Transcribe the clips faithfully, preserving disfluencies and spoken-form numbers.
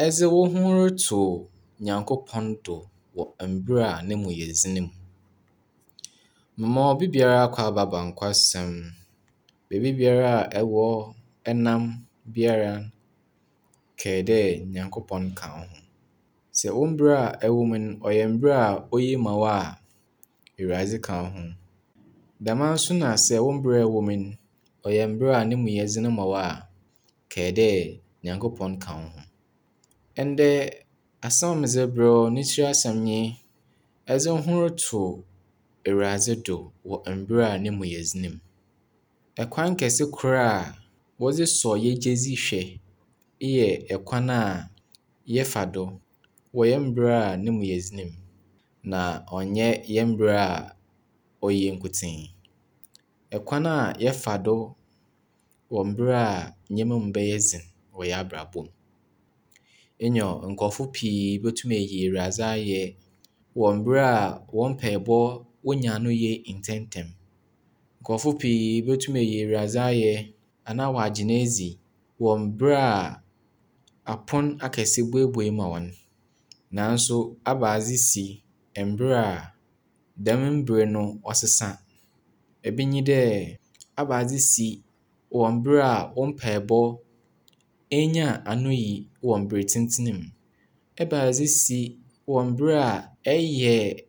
Edze woho roto Nyankopɔn do wɔ mber a no mu yɛ dzen mu. Mema obi biara akwaaba ba nkwasɛm. Beebi biara a ɛwɔ nam biara, kae dɛ Nyankopɔn ka wo ho. Sɛ wo mber a ɛwɔ mu no ɔyɛ mber a oye ma wo a, Ewuradze ka wo ho. Dɛm ara nso na sɛ wo mber a ɛwɔ mu no ɔyɛ mber a no mu yɛ dzen ma wo a, kae dɛ Nyankopɔn ka wo ho. Ndɛ asɛm a medze rebrɛ wo ne tsir asɛm nye edze wo ho roto Ewuradze do wɔ mber a no mu yɛ dzen mu. Kwan kɛse kor a wɔdze sɔ hɛn gyedzi hwɛ yɛ kwan a yɛfa do wɔ hɛn mber a no mu yɛ dzen mu, na ɔnnyɛ hɛn mber a oye nkotsee. Kwan a yɛfa do wɔ mber a ndzɛmba mu bɛyɛ dzen wɔ hɛn abrabɔ mu. Nyew, nkorɔfo pii botum eyi Ewuradze ayɛ wɔ mber a hɔn mpaabɔ wonya ano yie ntsɛntsɛm. Nkorɔfo pii botum eyi Ewuradze ayɛ anaa wɔagye no edzi wɔ mber a apon akɛse buebue ma hɔn. Naaso ebɛnadze si mber a dɛm mber no ɔsesa? Bi nye dɛ, ebɛnadze si wɔ mber a wo mpaabɔ ennya anoyi wɔ mber tsentsen mu? Ebɛnadze si wɔ mber a ɛyɛ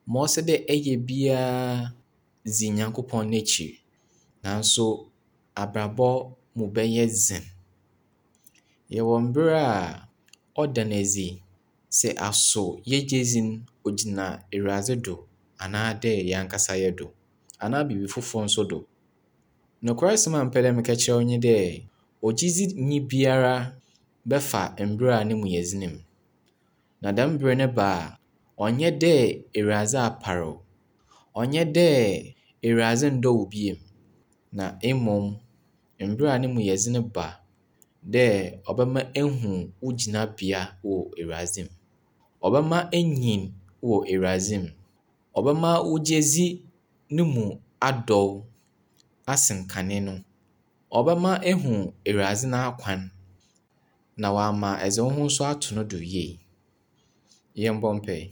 ma ɔsɛ dɛ ɛyɛ biara dzi Nyankopɔn n'ekyir naaso abrabɔ mu bɛyɛ dzen? Yɛwɔ mber a ɔda no edzi sɛ aso hɛn gyedzi no ogyina Ewuradze do anaadɛ hɛn ankasa hɛn do anaa biribi fofor nso do. Nokwasɛm a mepɛ dɛ meka kyerɛ wo nye dɛ, ogyedzinyi biara bɛfa mber a no mu yɛ dzen mu. Na dɛm ber no ba a, ɔnnyɛ dɛ Ewuradze apar wo, ɔnnyɛ dɛ Ewuradze nndɔ wo bio, na mbom mber a no mu yɛ dzen ba dɛ ɔbɛma ehu wo gyinabea wɔ Ewuradze mu. Ɔbɛma enyin wɔ Ewuradze mu. Ɔbɛma wo gyedzi no mu adɔw asen kane no. Ɔbɛma ehu Ewuradze n'akwan na ɔama edze wo ho nso ato no do yie. Yɛmbɔ mpae.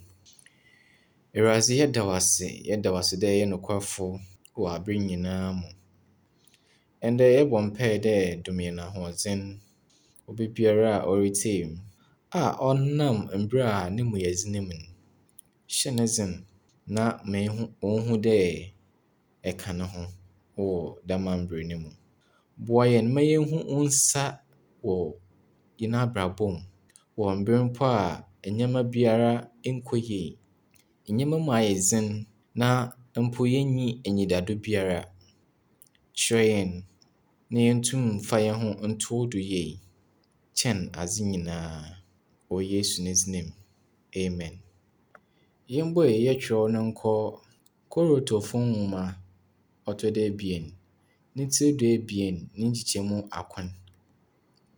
Ewuradze yɛda wo ase, yɛda wo ase dɛ eyɛ nokwafo wɔ aber nyinaa mu. Ndɛ yɛbɔ mpae dɛ dom hɛn ahoɔdzen. Obi biara a oritsie me a ɔnam mber a no mu yɛ dzen mu no, hyɛ no dzen na ma ehu onhu dɛ eka no ho wɔ dɛm mber no mu. Boa hɛn ma yenhu wo nsa wɔ hɛn abrabɔ mu wɔ mber mpo a ndzɛmba biara nnkɔ yie, ndzɛmba mu ayɛ dzen na mpo yennyi enyidado biara. Kyerɛ hɛn na yentum mfa hɛnho nto wo do yie kyɛn adze nyinaa. Wɔ Yesu ne dzin mu, amen. Yɛmbue hɛn kyerɛw no nkɔ Korintofo nwoma ɔtɔ do ebien, ne tsir duebien ne nkyekyɛmu akron.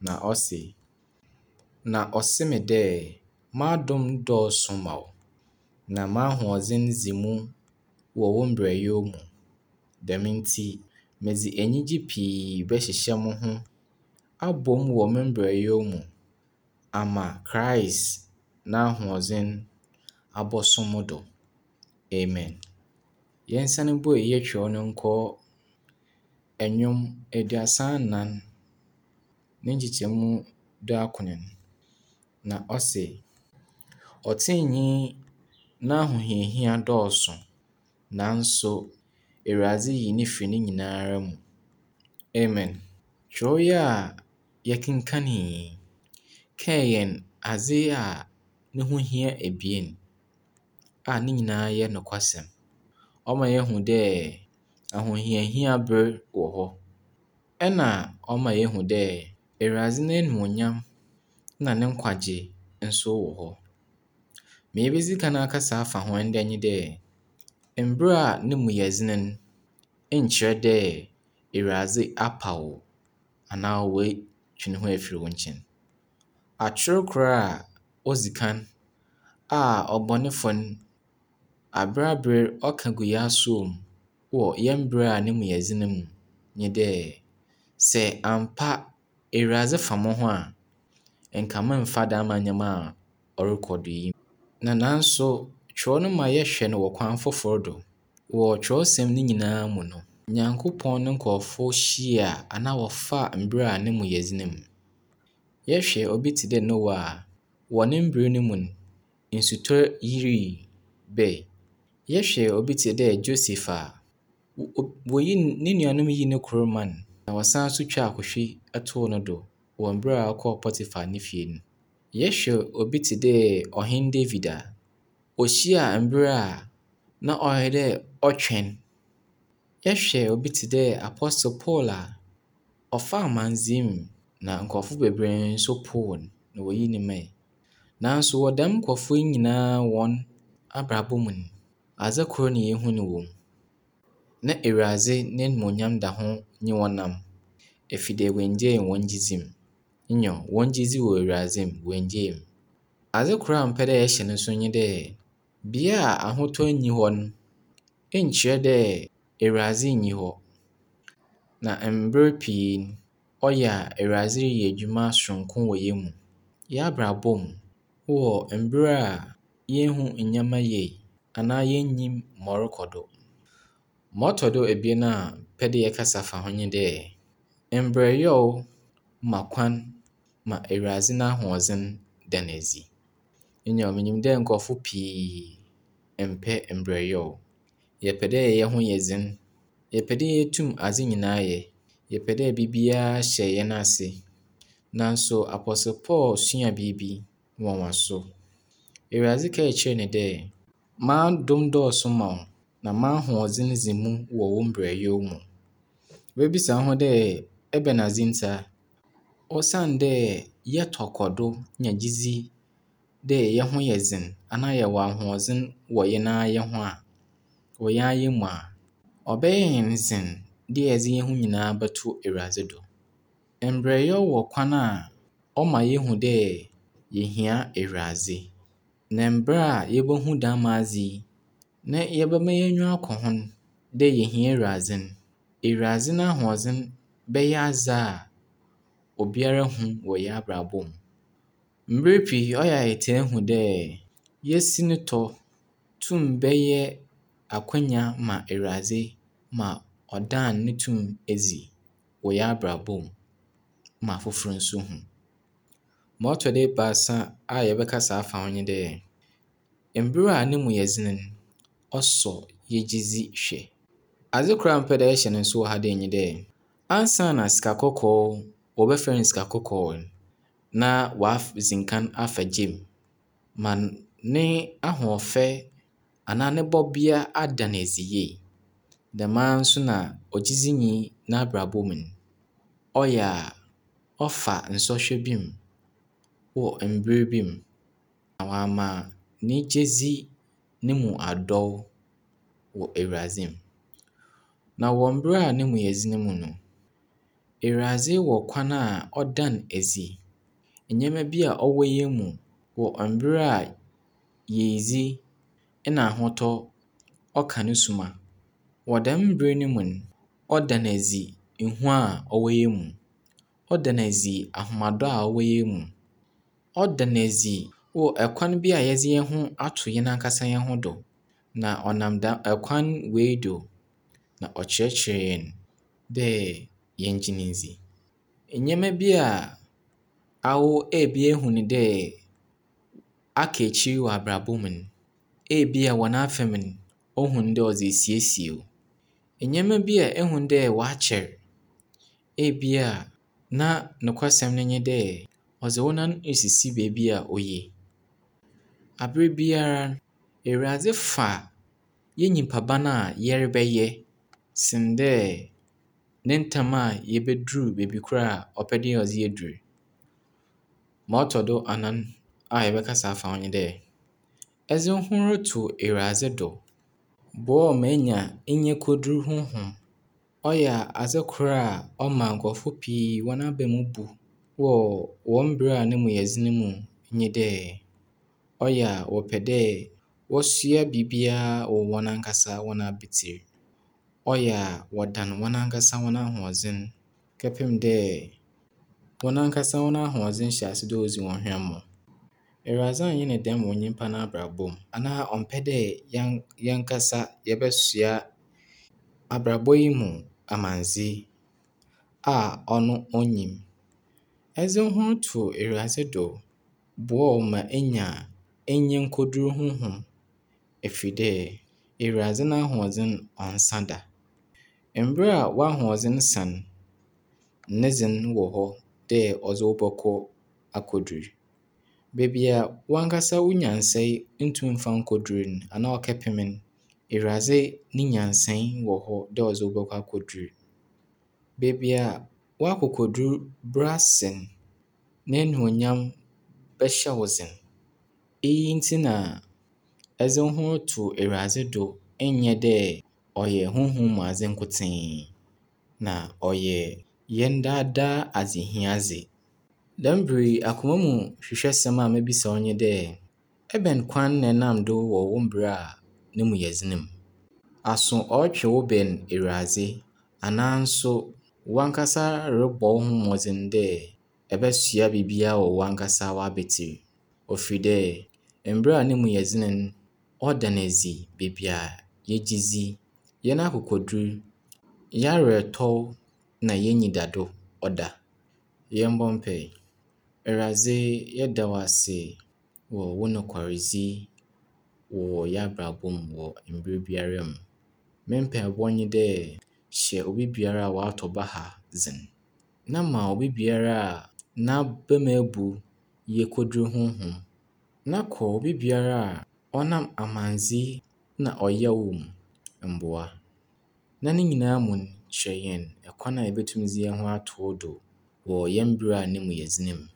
Na ɔse, Na ɔse me dɛ, m'adom dɔɔso ma wo, na m'ahoɔdzen dzi mu wɔ wo mberɛwyɛ mu. Dɛm ntsi, medze enyigye pii bɛhyehyɛ mo ho abɔ mu wɔ me mberɛwyɛ mu ama Christ n'ahoɔdzen abɔso mo do. Amen. Yɛnsan mbue hɛn kyerɛw no nkɔ Nnwom eduasa anan ne nkyekyɛmu duakron. Na ɔse, Ɔtseneneenyi n'ahohiahia dɔɔso, naaso Ewuradze yi no fi ne nyinara mu. Amen. Kyerɛw yi a yɛkenkan yi kae hɛn adze a no ho hia ebien a ne nyinaa yɛ nokwasɛm. Ɔma yehu dɛ ahohiahia ber wɔ hɔ, ɛna ɔma yehu dɛ Ewuradze n'enyimnyam na ne nkwagye nso wɔ hɔ. Ma yebedzi kan akasa afa ho ndɛ nye dɛ, mber a no mu yɛ dzen no nnkyerɛ dɛ Ewuradze apa wo anaa oetwe no ho efir wo nkyɛn. Ator kor a odzi kan a ɔbɔnefo no aber aber ɔka gu hɛn asowa mu wɔ hɛn mber a no mu yɛ dzen mu nye dɛ, sɛ ampa Ewuradze fa mo ho a, nka memmfa dɛm ndzɛmba a ɔrokɔ do yi. Na naaso kyerɛw no ma yɛhwɛ no wɔ kwan fofor do. Wɔ kyerɛwsɛm ne nyinaa mu no, Nyankopɔn no nkorɔfo hyia anaa wɔfaa mber a no mu yɛ dzen mu. Yɛhwɛ obi tse dɛ Noah a, wɔ ne mber no mu no, nsutɔr yirii bae. Yɛhwɛ obi tse dɛ Joseph a, woyii no nuanom yii no kor mae, na wɔsan so twaa ahwehwe too no do wɔ mber a ɔkɔɔ Potiphar ne fie no. Yɛhwɛ obi tse dɛ Ɔhen David a, ohyia mber a na ɔyɛ dɛ ɔtweɔn. Yɛhwɛ obi tse dɛ Apostle Paul a, ɔfaa amandzɛɛ mu na nkorɔfo beberee nso poow no na woyii no mae. Naaso wɔ dɛm nkorɔfo yi nyinaa hɔn abrabɔ mu no, adze kor na yehu no wɔ mu. Na Ewuradze n'enyimnyam da ho nye hɔn nam, ɛfiri dɛ woenngyaa hɔn gyedzi mu. Nyew, hɔn gyedzi wɔ Ewuradze mu, woenngyaa mu. Adze kor a mepɛ dɛ yɛhyɛ no nso nye dɛ, bea a ahotɔ nnyi hɔ no, nnkyerɛ dɛ Ewuradze nnyi hɔ. Na mber pii no, ɔyɛ a Ewuradze reyɛ edwuma soronko wɔ hɛn mu. Yɛabrabɔ mu, wɔ mber a yennhu ndzɛmba yie anaa yennyim ma ɔrokɔ do. Ma ɔtɔ do ebien a mepɛ dɛ yɛkasa fa ho nye dɛ, mbrɛwyɛ ma kwan ma Ewuradze n'ahoɔdzen da no edzi. Nyew, minyim dɛ nkorɔfo pii mmpɛ mbrɛwyɛ. Yɛpɛ dɛ hɛn ho yɛ dzen, yɛpɛ dɛ yetum adze nyinaa yɛ, yɛpɛ dɛ biribiara hyɛ hɛn ase. Naaso Apostle Paul suaa biribi nwanwaso. Ewuradze kaa kyerɛɛ no dɛ, M'adom dɔɔso ma wo, na m'ahoɔdzen dzi mu wɔ wo mbrɛwyɛ mu. Ibebisa wo ho dɛ ebɛnadze ntsi a? Osiandɛ yɛtɔ kɔ do nya gyedzi dɛ hɛn ho yɛ dzen anaa yɛwɔ ahoɔdzen wɔ hɛn ara hɛn ho a, wɔ hɛn ara hɛn mu a, ɔbɛyɛ hɛn dzen dɛ yɛdze hɛn ho nyinaa bɔto Ewuradze do. Mbrɛwyɛ wɔ kwan a ɔma yehu dɛ yehia Ewuradze. Na mber a yebohu dɛm adze yi, na yɛbɛma hɛn enyiwa akɔ ho no dɛ yehia Ewuradze no, Ewuradze n'ahoɔdzen bɛyɛ adze a obiara hu wɔ hɛn abrabɔ mu. Mber pii ɔyɛ a yɛtaa hu dɛ yesinitɔ tum bɛyɛ akwanya ma Ewuradze ma ɔdan no tum edzi wɔ hɛn abrabɔ mu ma afofor nso hu. Ma ɔtɔ do ebiasa a yɛbɛkasa afa ho nye dɛ, mber a no mu yɛ dzen no, ɔsɔ yɛn gyedzi hwɛ. Adze kor a mepɛ dɛ yɛhyɛ no nso wɔ ha dei nye dɛ, ansaana sika kɔkɔɔ wɔbɛfrɛ no sika kɔkɔɔ no, na ɔadzi nkan afa gya mu ma ne ahoɔfɛ anaa ne bɔbea ada no edzi yie. Dɛm ara nso na ogyedzinyi n'abrabɔ mu no, ɔyɛ a ɔfa nsɔhwɛ bi mu wɔ mber bi mu na ɔama ne gyedzi no mu adɔw wɔ Ewuradze mu. Na wɔ mber a no mu yɛ dzen mu no, Ewuradze wɔ kwan a ɔda no edzi. Ndzɛmba bi a ɔwɔ hɛn mu wɔ mber a yiedzi na ahotɔ ɔka no suma. Wɔ dɛm ber no mu no, ɔda no edzi ehu a ɔwɔ hɛn mu. Ɔda no edzi ahomado a ɔwɔ hɛn mu. Ɔda no edzi wɔ kwan bi a yɛdze hɛn ho ato hɛn ankasa hɛn ho do. Na ɔnam dɛm kwan wei do na ɔkyerɛkyerɛ hɛn dɛ yɛngye no ndzi. Ndzɛmba bi a awo ebi ehu no dɛ aka ekyir wɔ abrabɔ mu no, ebia wɔ n'afamu no, ohu no dɛ ɔdze resiesie wo. Ndzɛmba bi a ehu dɛ wɔakyɛr, ebia na nokwasɛm no nye dɛ ɔdze wo nan esisi beebi a oye. Aber biara, Ewuradze fa yɛn nyimpa ban a yɛrebɛyɛ sen dɛ ne ntam a yebedur beebi kor a ɔpɛ dɛ ɔdze hɛn dur. Ma ɔtɔ do anan a yɛbɛkasa afa ho nye dɛ, edze wo ho roto Ewuradze do boa wo ma enya enyikodur honhom. Ɔyɛ adze kor a ɔma nkorɔfo pii hɔn aba mu bu wɔ hɔn mber a no mu yɛ dzen mu nye dɛ, ɔyɛ a wɔpɛ dɛ wɔsoa biribiara wɔ hɔn ankasa hɔn abatsir. Ɔyɛ a wɔdan hɔn ankasa hɔn ahoɔdzen kɛpem dɛ hɔn ankasa hɔn ahoɔdzen hyɛ ase dɛ odzi hɔn hwammɔ. Ewuradze annyɛ no dɛm wɔ nyimpa n'abrabɔ mu, anaa ɔmmpɛ dɛ yɛn yɛnkasa yɛbɛsoa abrabɔ yi mu amandze a ɔno onnyim. Edze wo ho roto Ewuradze do boa wo ma enya enyenkodur honhom ɛfiri dɛ Ewuradze n'ahoɔdzen ɔnnsa da. Mber a w'ahoɔdzen sa no, ne dze no wɔ hɔ dɛ ɔdze wo bɔkɔ akɔdur. Beebi a wankasa wo nyansae nntum mmfa nnkodur no anaa ɔkɛpem no, Ewuradze ne nyansae wɔ hɔ dɛ ɔdze wo bɔkɔ akɔdur. Beebi a w'akokodur brɛ ase no, n'enuonyam bɛhyɛ wo dzen. Iyi ntsi na edze wo ho roto Ewuradze do nnyɛ dɛ ɔyɛ honhom mu adze nkotsee, na ɔyɛ hɛn daadaa adzehiadze. Dɛm ber yi, akoma mu hwehwɛsɛm a mebisa wo nye dɛ, ebɛn kwan na enam do wɔ wo mber a no mu yɛ dzen mu? Aso ɔrotwe wo bɛn Ewuradze anaa nso wankasa robɔ wo ho mbɔdzen dɛ ɛbɛsoa biribiara wɔ wankasa w'abatsir? Ofir dɛ mber a no mu yɛ dzen no, ɔda no edzi beebi a yɛgye dzi, hɛn akokodur, hɛn awerɛtɔw na hɛn enyidado ɔda. Yɛmbɔ mpae. Ewuradze, yɛda wo ase wɔ wo nokwardzi wɔ hɛn abrabɔ mu wɔ mber biara mu. Me mpaebɔ nye dɛ hyɛ obi biara a ɔatɔ baha dzen, na ma obi biara a n'aba mu ebu yekodur honhom, na kɔ obi biara a ɔnam amandze na ɔyaw mu mboa. Na ne nyinaa mu no, kyerɛ hɛn kwan a yebotum dze hɛn ho ato wo do wɔ hɛn ber a no mu yɛ dzen mu.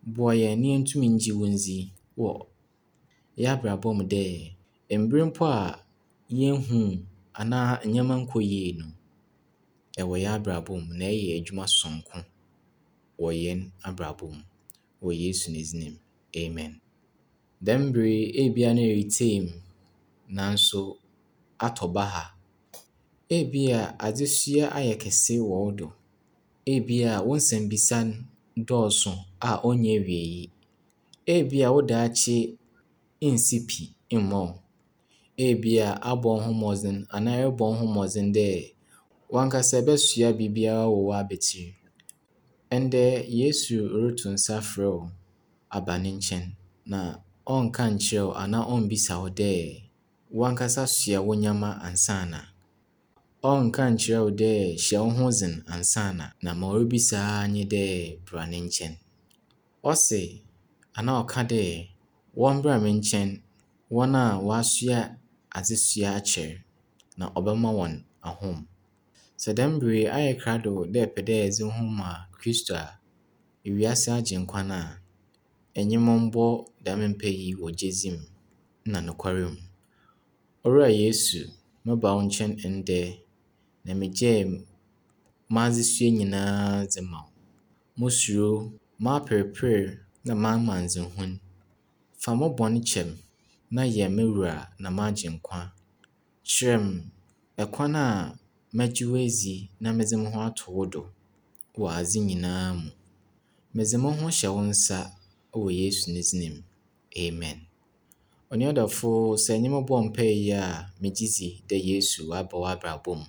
Boa hɛn na yentum ngye wo ndzi wɔ hɛn abrabɔ mu dɛ mber mpo a yennhu wo anaa ndzɛmba nnkɔ yie no, ewɔ hɛn abrabɔ mu na ɛyɛ edwuma soronko wɔ hɛn abrabɔ mu. Wɔ Yesu ne dzin mu, amen. Dɛm ber yi, ebia na eretsie me naaso atɔ baha. Ebia adzesoa ayɛ kɛse wɔ wo do. Ebia wo nsɛmbisa no dɔɔso a onnyi ewiei. Ebia wo daakye nnsi pi mma wo. Ebia abɔ wo ho mbɔdzen anaa erobɔ wo ho mbɔdzen dɛ wankasa ebɛsoa biribiara wɔ w'abatsir. Ndɛ Yesu roto nsa afrɛ wo aba ne nkyɛn, na ɔnnka nnkyerɛ wo anaa ommbisa wo dɛ wankasa soa wo ndzɛmba ansaana. Ɔnnka nnkyerɛ wo dɛ hyɛ wo ho dzen ansaana, na ma oribisa ara nye dɛ bra ne nkyɛn. Ɔse anaa ɔka dɛ wɔmbra me nkyɛn, hɔn a wɔasoa adzesoa akyɛr, na ɔbɛma hɔn ahom. Sɛ dɛm ber yi ayɛ krado dɛ epɛ dɛ edze wo ho ma Kristo a, wiase agyenkwa no a, enye me mbɔ dɛm mpae yi wɔ gyedzi mu na nokwar mu. Owura Yesu, meba wo nkyɛn ndɛ, na megyaa m'adzesoa nyinaa dze ma wo. Mo suro, m'aperper na m'amandzehu. Fa mo bɔn kyɛ me na yɛ me wura na m'agyenkwa. Kyerɛ me kwan a mɛgye wo edzi na medze mo ho ato wo do wɔ adze nyinaa mu. Medze mo ho hyɛ wo nsa wɔ Yesu ne dzin mu, amen. Onua dɔfo, sɛ enye me bɔɔ mpae yi a, megye dzi dɛ Yesu ɔaba w'abrabɔ mu.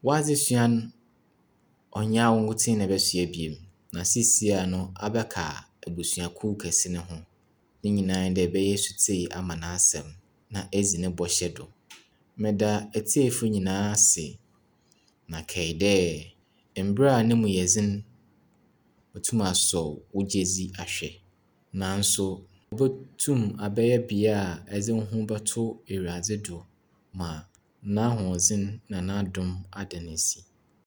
W'adzesoa no, ɔnnyɛ awo nkotsee na ebɛsoa bio, na seisiara no abɛka ebusuakuw kɛse no ho. Ne nyinaa nye dɛ ebɛyɛ setsie ama n'asɛm na edzi ne bɔhyɛ do. Meda etsiefo nyinaa ase, na kae dɛ mber a no mu yɛ dzen, otum asɔ wo gyedzi ahwɛ. Naaso obotum abɛyɛ bea a edze wo ho bɔto Ewuradze do ma n'ahoɔdzen na n'adom ada no edzi.